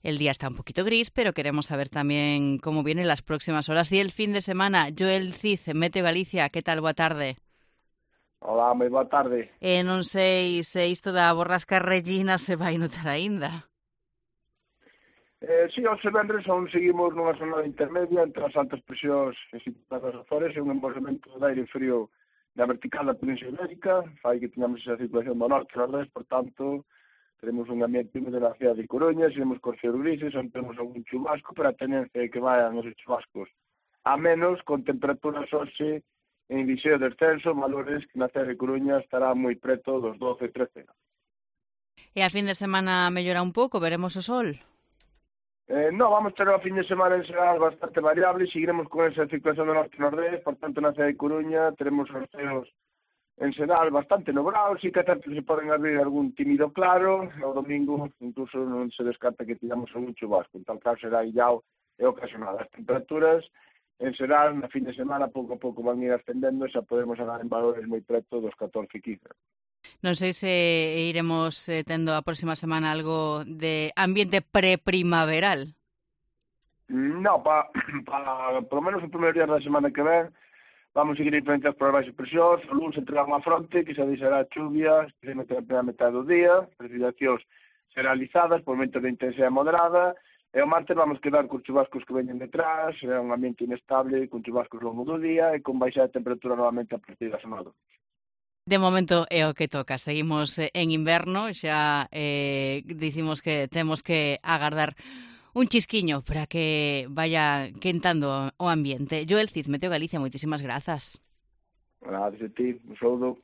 El día está un poquito gris, pero queremos saber también cómo vienen las próximas horas y el fin de semana. Joel Cid, Meteo Galicia, que tal? Boa tarde. Olá, moi boa tarde. Non sei se isto da borrasca Regina se vai notar aínda. Si, hoxe venres aún seguimos nunha zona intermedia entre as altas presións situadas nas Azores e un embolsamento de aire frío da vertical da Península Ibérica, fai que teñamos esa circulación do norte e nordeste, por tanto, teremos un ambiente húmedo na cidade de Coruña, seguimos cos céus grises, onde temos algún chubasco, pero a tenencia é que vayan esos chubascos a menos, con temperaturas hoxe en liceo descenso, valores que na cidade de Coruña estará moi preto dos 12 13 graus. E a fin de semana mellora un pouco, veremos o sol. No, vamos ter o fin de semana en xeral bastante variable, seguiremos con esa circulación do norte e nordeste, por tanto na cidade de Coruña teremos os ceos en xeral bastante nubrados, e que tanto se poden abrir algún tímido claro, o domingo incluso non se descarta que tiramos algún chubasco, en tal caso será illao e ocasional. As temperaturas en xeral na fin de semana pouco a pouco van ir ascendendo e xa podemos andar en valores moi preto dos 14 15. Non sei se iremos tendo a próxima semana algo de ambiente preprimaveral. No, por lo menos o primeiro día da semana que ven, vamos seguir influenciados por as baixas presións, o lunes entrará unha fronte que se deixará chuvias, especialmente na primeira metade do día, precipitacións generalizadas, por momentos de intensidade moderada, e o martes vamos quedar con chubascos que veñen detrás, é un ambiente inestable, con chubascos longo do día e con baixa de temperatura novamente a partir da semana. De momento é o que toca. Seguimos en inverno, xa dicimos que temos que agardar un chisquiño para que vaya quentando o ambiente. Joel Cid, Meteo Galicia, moitísimas grazas. Gracias a ti, un saúdo.